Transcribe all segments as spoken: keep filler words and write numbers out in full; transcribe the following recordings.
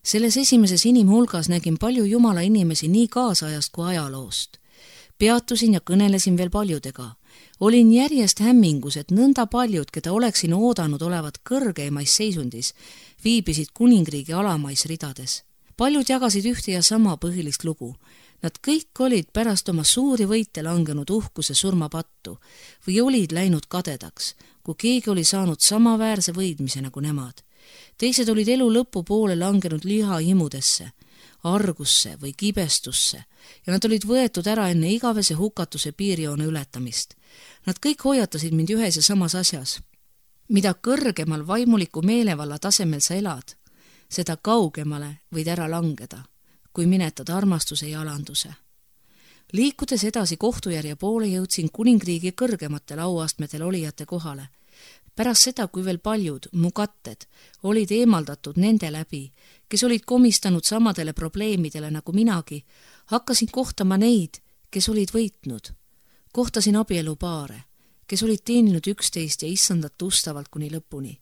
Selles esimeses inimhulgas nägin palju Jumala inimesi nii kaasajast kui ajaloost. Peatusin ja kõnelesin veel paljudega. Olin järjest hämmingus, et nõnda paljud, keda oleksin oodanud olevat kõrgeimais seisundis, viibisid kuningriigi alamais ridades. Paljud jagasid ühte ja sama põhilist lugu. Nad kõik olid pärast oma suuri võite langenud uhkuse surmapattu või olid läinud kadedaks, kui keegi oli saanud samaväärse võidmise nagu nemad. Teised olid elu lõpu poole langenud lihahimudesse, argusse või kibestusse ja nad olid võetud ära enne igavese hukatuse piirjoone ületamist. Nad kõik hoiatasid mind ühes ja samas asjas. Mida kõrgemal vaimuliku meelevalla tasemel sa elad, seda kaugemale võid ära langeda, kui minetad armastuse ja alanduse. Liikudes edasi kohtujärje poole jõudsin kuningriigi kõrgematel auastmetel olijate kohale. Pärast seda, kui veel paljud, mu katted, olid eemaldatud nende läbi, kes olid komistanud samadele probleemidele nagu minagi, hakkasin kohtama neid, kes olid võitnud. Kohtasin abielupaare, kes olid teeninud üksteist ja issandat ustavalt kuni lõpuni.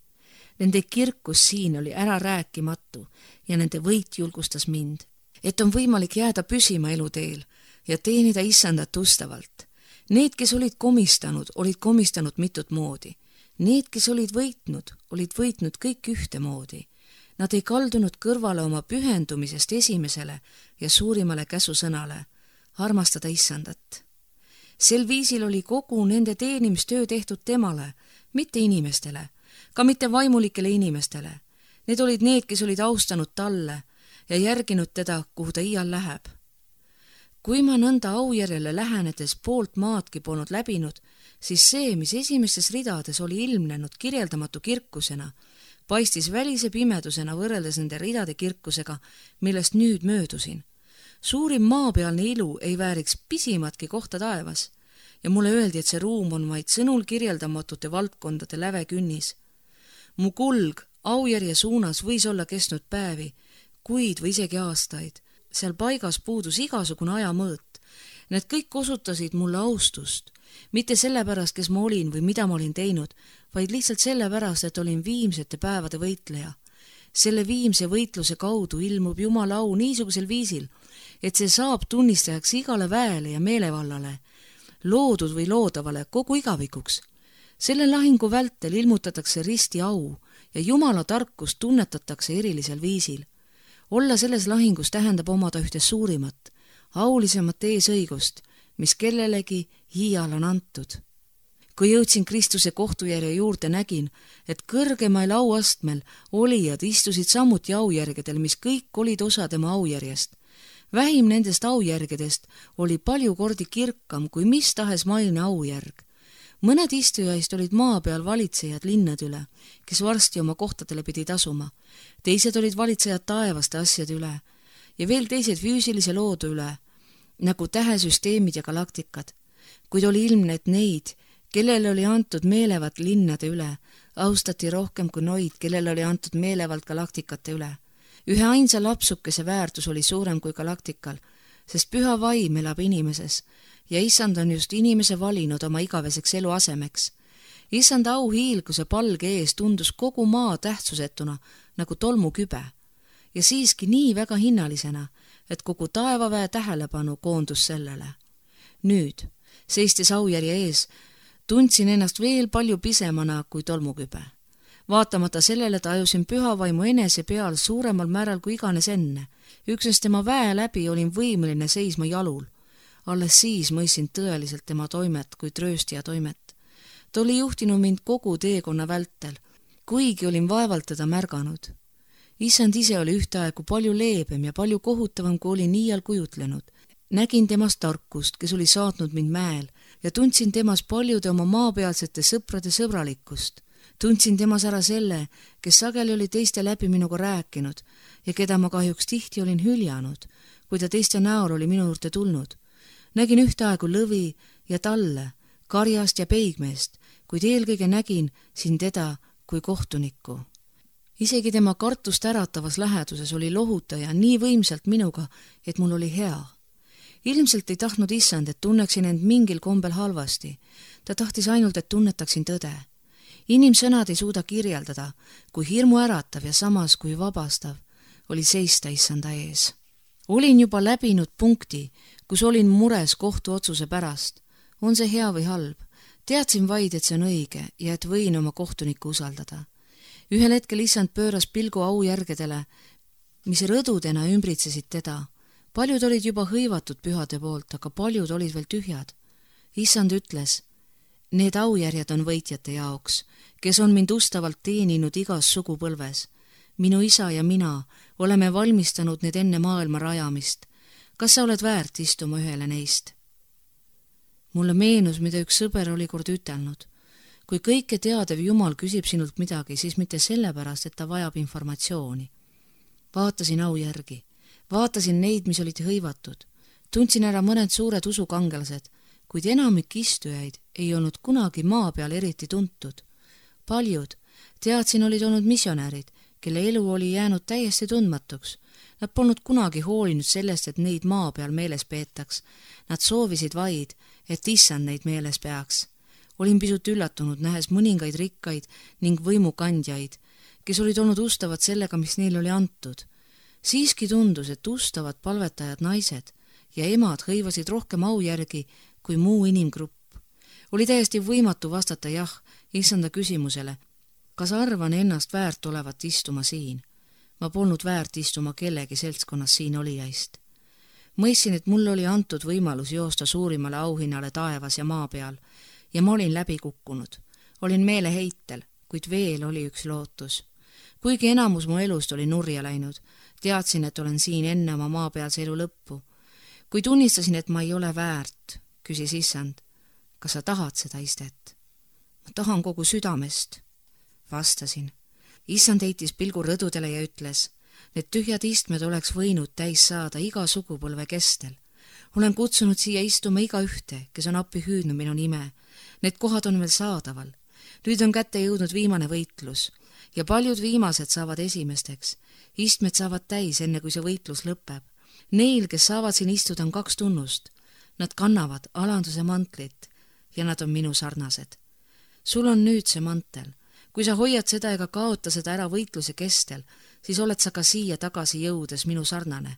Nende kirkus siin oli ära rääkimatu ja nende võit julgustas mind, et on võimalik jääda püsima eluteel ja teenida issandat ustavalt. Need, kes olid komistanud, olid komistanud mitut moodi. Need, kes olid võitnud, olid võitnud kõik ühtemoodi. Nad ei kaldunud kõrvale oma pühendumisest esimesele ja suurimale käsusõnale, armastada issandat. Sel viisil oli kogu nende teenimistöö tehtud temale, mitte inimestele, ka mitte vaimulikele inimestele. Need olid need, kes olid austanud talle ja järginud teda, kuhu ta iial läheb. Kui ma nõnda aujärjele lähenedes poolt maadki polnud läbinud, siis see, mis esimestes ridades oli ilmnenud kirjeldamatu kirkusena, paistis välise pimedusena võrreldes nende ridade kirkusega, millest nüüd möödusin. Suurim maapealne ilu ei vääriks pisimatki kohta taevas ja mulle öeldi, et see ruum on vaid sõnul kirjeldamatute valdkondade läve künnis. Mu kulg aujärje suunas võis olla kestnud päevi, kuid või isegi aastaid. Seal paigas puudus igasugune ajamõõt. Need kõik osutasid mulle austust, mitte sellepärast, kes ma olin või mida ma olin teinud, vaid lihtsalt sellepärast, et olin viimsete päevade võitleja. Selle viimse võitluse kaudu ilmub Jumala au niisugusel viisil, et see saab tunnistajaks igale väele ja meelevallale, loodud või loodavale kogu igavikuks. Selle lahingu vältel ilmutatakse risti au ja Jumala tarkust tunnetatakse erilisel viisil. Olla selles lahingus tähendab omada ühte suurimat, aulisemat eesõigust, mis kellelegi iial on antud. Kui jõudsin Kristuse kohtujärje juurde, nägin, et kõrgemail auastmel olijad istusid samuti aujärgedel, mis kõik olid osa tema aujärjest. Vähim nendest aujärgedest oli palju kordi kirkam kui mis tahes maine aujärg. Mõned istujaist olid maa peal valitsejad linnade üle, kes varsti oma kohtadele pidi tasuma. Teised olid valitsejad taevaste asjade üle ja veel teised füüsilise loodu üle, nagu tähesüsteemid ja galaktikad. Kuid oli ilmne, et neid, kellele oli antud meelevalt linnade üle, austati rohkem kui noid, kellele oli antud meelevalt galaktikate üle. Ühe ainsa lapsukese väärtus oli suurem kui galaktikal, sest püha vaim elab inimeses ja issand on just inimese valinud oma igaveseks eluasemeks. Issand au hiilguse palge ees tundus kogu maa tähtsusetuna nagu tolmukübe ja siiski nii väga hinnalisena, et kogu taevaväe tähelepanu koondus sellele. Nüüd, seistes aujärje ees, tundsin ennast veel palju pisemana kui tolmukübe. Vaatamata sellele tajusin pühavaimu enese peal suuremal määral kui iganes enne. Üksnes tema väe läbi olin võimeline seisma jalul. Alles siis mõistsin tõeliselt tema toimet kui trööstija toimet. Ta oli juhtinud mind kogu teekonna vältel, kuigi olin vaevalt teda märganud. Issand ise oli ühtaegu palju leebem ja palju kohutavam, kui olin iial kujutlenud. Nägin temast tarkust, kes oli saatnud mind mäel ja tundsin temas paljude oma maapealsete sõprade sõbralikkust. Tundsin temas ära selle, kes sageli oli teiste läbi minuga rääkinud ja keda ma kahjuks tihti olin hüljanud, kui ta teiste näol oli minu juurde tulnud. Nägin ühtaegu lõvi ja talle, karjast ja peigmeest, kuid eelkõige nägin siin teda kui kohtunikku. Isegi tema kartust äratavas läheduses oli lohutaja nii võimsalt minuga, et mul oli hea. Ilmselt ei tahtnud issand, et tunneksin end mingil kombel halvasti. Ta tahtis ainult, et tunnetaksin tõde. Inimsõnad ei suuda kirjeldada, kui hirmu äratav ja samas kui vabastav, oli seista issanda ees. Olin juba läbinud punkti, kus olin mures kohtuotsuse pärast. On see hea või halb? Teadsin vaid, et see on õige ja et võin oma kohtunikku usaldada. Ühel hetkel issand pööras pilgu aujärgedele, mis rõdudena ümbritsesid teda. Paljud olid juba hõivatud pühade poolt, aga paljud olid veel tühjad. Issand ütles, need aujärjed on võitjate jaoks, kes on mind ustavalt teeninud igas sugupõlves. Minu isa ja mina oleme valmistanud need enne maailma rajamist. Kas sa oled väärt istuma ühele neist? Mulle meenus, mida üks sõber oli kord ütelnud. Kui kõike teadev Jumal küsib sinult midagi, siis mitte sellepärast, et ta vajab informatsiooni. Vaatasin aujärgi. Vaatasin neid, mis olid hõivatud. Tundsin ära mõned suured usukangelased, kuid enamik istujaid ei olnud kunagi maa peal eriti tuntud. Paljud, teadsin, olid olnud missionärid, kelle elu oli jäänud täiesti tundmatuks. Nad polnud kunagi hoolinud sellest, et neid maa peal meeles peetaks. Nad soovisid vaid, et issand neid meeles peaks. Olin pisut üllatunud, nähes mõningaid rikkaid ning võimukandjaid, kes olid olnud ustavad sellega, mis neil oli antud. Siiski tundus, et ustavad palvetajad naised ja emad hõivasid rohkem aujärgi kui muu inimgrupp. Oli täiesti võimatu vastata jah issanda küsimusele, kas arvan ennast väärt olevat istuma siin. Ma polnud väärt istuma kellegi seltskonnas siin olijaist. Mõistsin, et mulle oli antud võimalus joosta suurimale auhinnale taevas ja maa peal ja ma olin läbi kukkunud. Olin meeleheitel, kuid veel oli üks lootus. Kuigi enamus mu elust oli nurja läinud, teadsin, et olen siin enne oma maapealse elu lõppu. Kui tunnistasin, et ma ei ole väärt, küsis issand, kas sa tahad seda istet? Ma tahan kogu südamest. Vastasin. Issand heitis pilgu rõdudele ja ütles, need tühjad istmed oleks võinud täis saada iga sugupõlve kestel. Olen kutsunud siia istuma iga ühte, kes on appi hüüdnud minu nime. Need kohad on veel saadaval. Nüüd on kätte jõudnud viimane võitlus ja paljud viimased saavad esimesteks. Istmed saavad täis, enne kui see võitlus lõpeb. Neil, kes saavad siin istuda, on kaks tunnust. Nad kannavad alanduse mantlit ja nad on minu sarnased. Sul on nüüd see mantel. Kui sa hoiad seda ega kaota seda ära võitluse kestel, siis oled sa ka siia tagasi jõudes minu sarnane.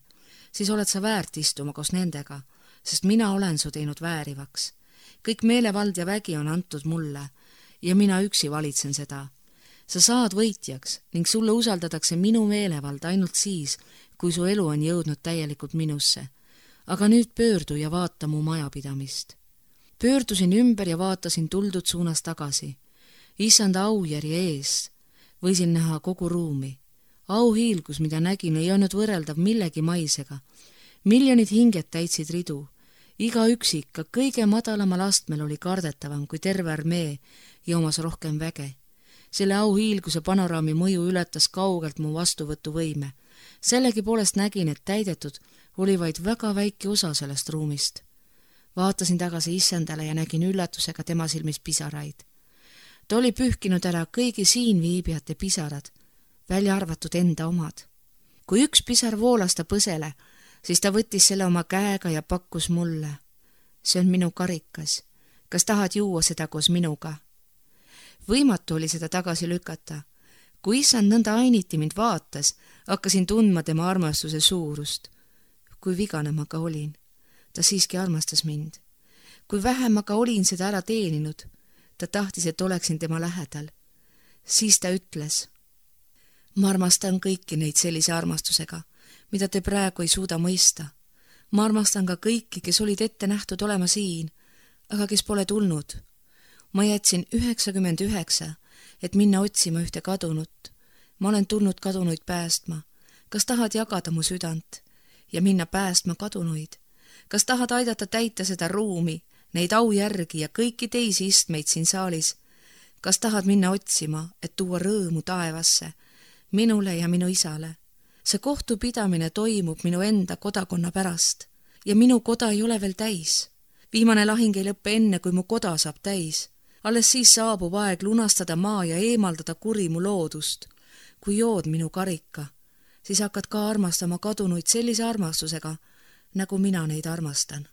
Siis oled sa väärt istuma koos nendega, sest mina olen su teinud väärivaks. Kõik meelevald ja vägi on antud mulle ja mina üksi valitsen seda. Sa saad võitjaks ning sulle usaldatakse minu meelevald ainult siis, kui su elu on jõudnud täielikult minusse. Aga nüüd pöördu ja vaata mu majapidamist. Pöördusin ümber ja vaatasin tuldud suunas tagasi. Issanda aujärje ees võisin näha kogu ruumi. Auhiilgus, mida nägin, ei olnud võrreldav millegi maisega. Miljonid hinged täitsid ridu. Iga üksik, ka kõige madalamal astmel oli kardetavam kui terve armee ja omas rohkem väge. Selle auhiilguse panoraami mõju ületas kaugelt mu vastuvõtuvõime. Sellegi poolest nägin, et täidetud oli vaid väga väike osa sellest ruumist. Vaatasin tagasi issandale ja nägin üllatusega tema silmis pisaraid. Ta oli pühkinud ära kõigi siin viibijate pisarad, välja arvatud enda omad. Kui üks pisar voolas ta põsele, siis ta võttis selle oma käega ja pakkus mulle. See on minu karikas. Kas tahad juua seda koos minuga? Võimatu oli seda tagasi lükata. Kui issand nõnda ainiti mind vaatas, hakkasin tundma tema armastuse suurust. Kui vigane ma ka olin. Ta siiski armastas mind. Kui vähem ma ka olin seda ära teeninud, ta tahtis, et oleksin tema lähedal. Siis ta ütles, ma armastan kõiki neid sellise armastusega, mida te praegu ei suuda mõista. Ma armastan ka kõiki, kes olid ette nähtud olema siin, aga kes pole tulnud. Ma jätsin üheksakümmend üheksa, et minna otsima ühte kadunut. Ma olen tulnud kadunuid päästma. Kas tahad jagada mu südant ja minna päästma kadunuid? Kas tahad aidata täita seda ruumi, neid aujärgi ja kõiki teisi istmeid siin saalis? Kas tahad minna otsima, et tuua rõõmu taevasse, minule ja minu isale? See kohtupidamine toimub minu enda kodakonna pärast ja minu koda ei ole veel täis. Viimane lahing ei lõppe enne, kui mu koda saab täis. Alles siis saabub aeg lunastada maa ja eemaldada kuri mu loodust. Kui jood minu karika, siis hakkad ka armastama kadunuid sellise armastusega, nagu mina neid armastan.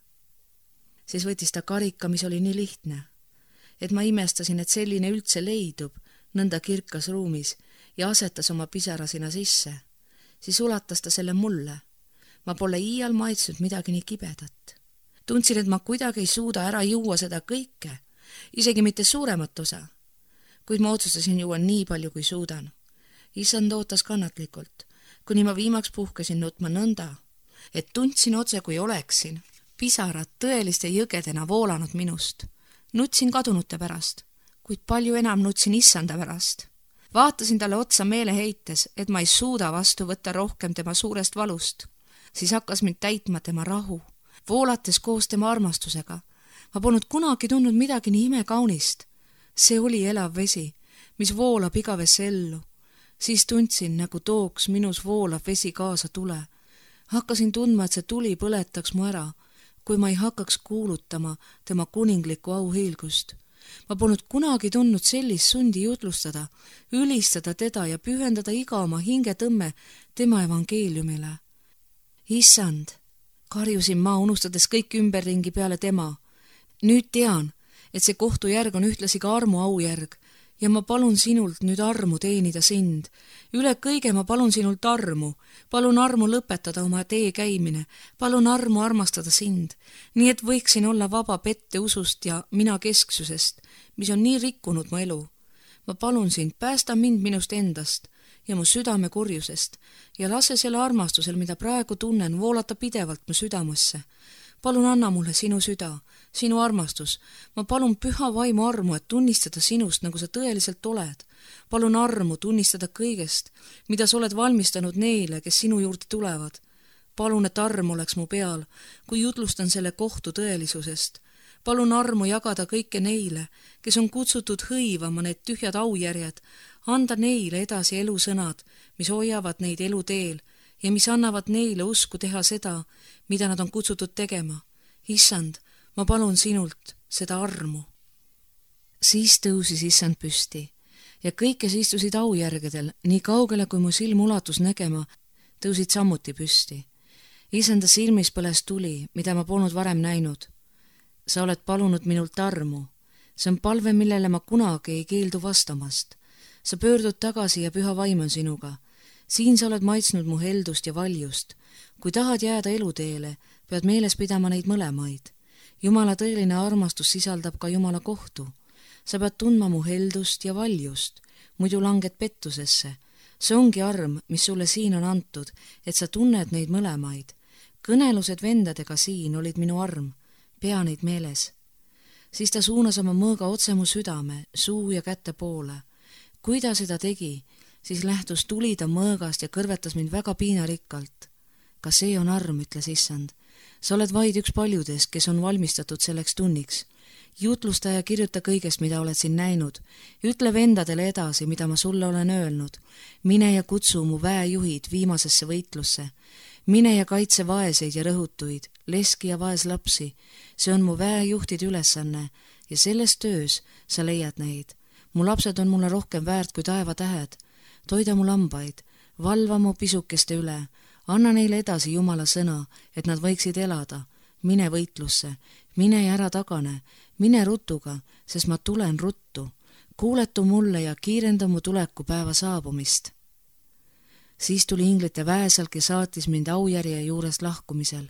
Siis võttis ta karika, mis oli nii lihtne, et ma imestasin, et selline üldse leidub nõnda kirkas ruumis ja asetas oma pisara sinna sisse. siis ulatas ta selle mulle. Ma pole iial maitsnud midagi nii kibedat. Tundsin, et ma kuidagi ei suuda ära juua seda kõike, isegi mitte suuremat osa, kuid ma otsustasin juua nii palju, kui suudan. Issand ootas kannatlikult, kuni ma viimaks puhkesin nutma nõnda, et tundsin otse, kui oleksin pisarad tõeliste jõgedena voolanud minust. Nutsin kadunute pärast, kuid palju enam nutsin issanda pärast. Vaatasin talle otsa meeleheites, et ma ei suuda vastu võtta rohkem tema suurest valust. Siis hakkas mind täitma tema rahu, voolates koos tema armastusega. Ma polnud kunagi tundnud midagi nii imekaunist. See oli elav vesi, mis voolab igavesse ellu. Siis tundsin, nagu tooks minus voolav vesi kaasa tule. Hakkasin tundma, et see tuli põletaks mu ära, kui ma ei hakkaks kuulutama tema kuninglikku auhiilgust. Ma polnud kunagi tundnud sellist sundi jutlustada, ülistada teda ja pühendada iga oma hingetõmme tema evangeeliumile. Issand, karjusin ma, unustades kõik ümberringi peale tema. Nüüd tean, et see kohtujärg on ühtlasi ka armu aujärg ja ma palun sinult nüüd armu teenida sind. Üle kõige ma palun sinult armu. Palun armu lõpetada oma tee käimine. Palun armu armastada sind, nii et võiksin olla vaba pette usust ja mina kesksusest, mis on nii rikkunud mu elu. Ma palun sind, päästa mind minust endast ja mu südame kurjusest ja lase selle armastusel, mida praegu tunnen, voolata pidevalt mu südamesse. Palun anna mulle sinu süda, sinu armastus. Ma palun püha vaimu armu, et tunnistada sinust, nagu sa tõeliselt oled. Palun armu tunnistada kõigest, mida sa oled valmistanud neile, kes sinu juurde tulevad. Palun, et arm oleks mu peal, kui jutlustan selle kohtu tõelisusest. Palun armu jagada kõike neile, kes on kutsutud hõivama need tühjad aujärjed, anda neile edasi elusõnad, mis hoiavad neid eluteel ja mis annavad neile usku teha seda, mida nad on kutsutud tegema. Issand, ma palun sinult seda armu. Siis tõusis issand püsti ja kõik, kes istusid aujärgedel, nii kaugele kui mu silm ulatus nägema, tõusid samuti püsti. Issanda silmis põles tuli, mida ma polnud varem näinud. Sa oled palunud minult armu. See on palve, millele ma kunagi ei keeldu vastamast. Sa pöördud tagasi ja püha vaim on sinuga. Siin sa oled maitsnud mu heldust ja valjust. Kui tahad jääda eluteele, pead meeles pidama neid mõlemaid. Jumala tõeline armastus sisaldab ka Jumala kohtu. Sa pead tundma mu heldust ja valjust, muidu langed pettusesse. See ongi arm, mis sulle siin on antud, et sa tunned neid mõlemaid. Kõnelused vendadega siin olid minu arm, pea neid meeles. Siis ta suunas oma mõõga otse mu südame, suu ja kätte poole. Kui ta seda tegi, siis lähtus tuli ta mõõgast ja kõrvetas mind väga piinarikkalt. Ka see on arm, ütles issand. Sa oled vaid üks paljudest, kes on valmistatud selleks tunniks. Jutlusta ja kirjuta kõigest, mida oled siin näinud. Ütle vendadele edasi, mida ma sulle olen öelnud. Mine ja kutsu mu väejuhid viimasesse võitlusse. Mine ja kaitse vaeseid ja rõhutuid, leski ja vaeslapsi. See on mu väejuhtide ülesanne ja selles töös sa leiad neid. Mu lapsed on mulle rohkem väärt kui taevatähed. Toida mu lambaid, valva mu pisukeste üle. Anna neile edasi Jumala sõna, et nad võiksid elada. Mine võitlusse, mine ja ära tagane, mine rutuga, sest ma tulen ruttu. Kuuletu mulle ja kiirenda mu tuleku päeva saabumist. Siis tuli inglite väesalk ja saatis mind aujärje juurest lahkumisel.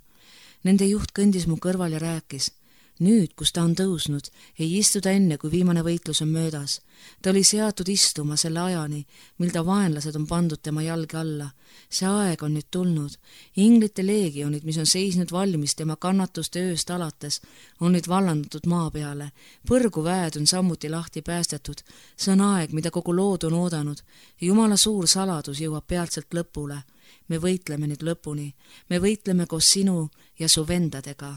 Nende juht kõndis mu kõrval ja rääkis. Nüüd, kus ta on tõusnud, ei istuda enne, kui viimane võitlus on möödas. Ta oli seatud istuma selle ajani, mil ta vaenlased on pandud tema jalge alla. See aeg on nüüd tulnud. Inglite leegionid, mis on seisnud valmis tema kannatuste ööst alates, on nüüd vallandatud maa peale. Põrguväed on samuti lahti päästetud. See on aeg, mida kogu lood on oodanud. Jumala suur saladus jõuab peatselt lõpule. Me võitleme nüüd lõpuni. Me võitleme koos sinu ja su vendadega.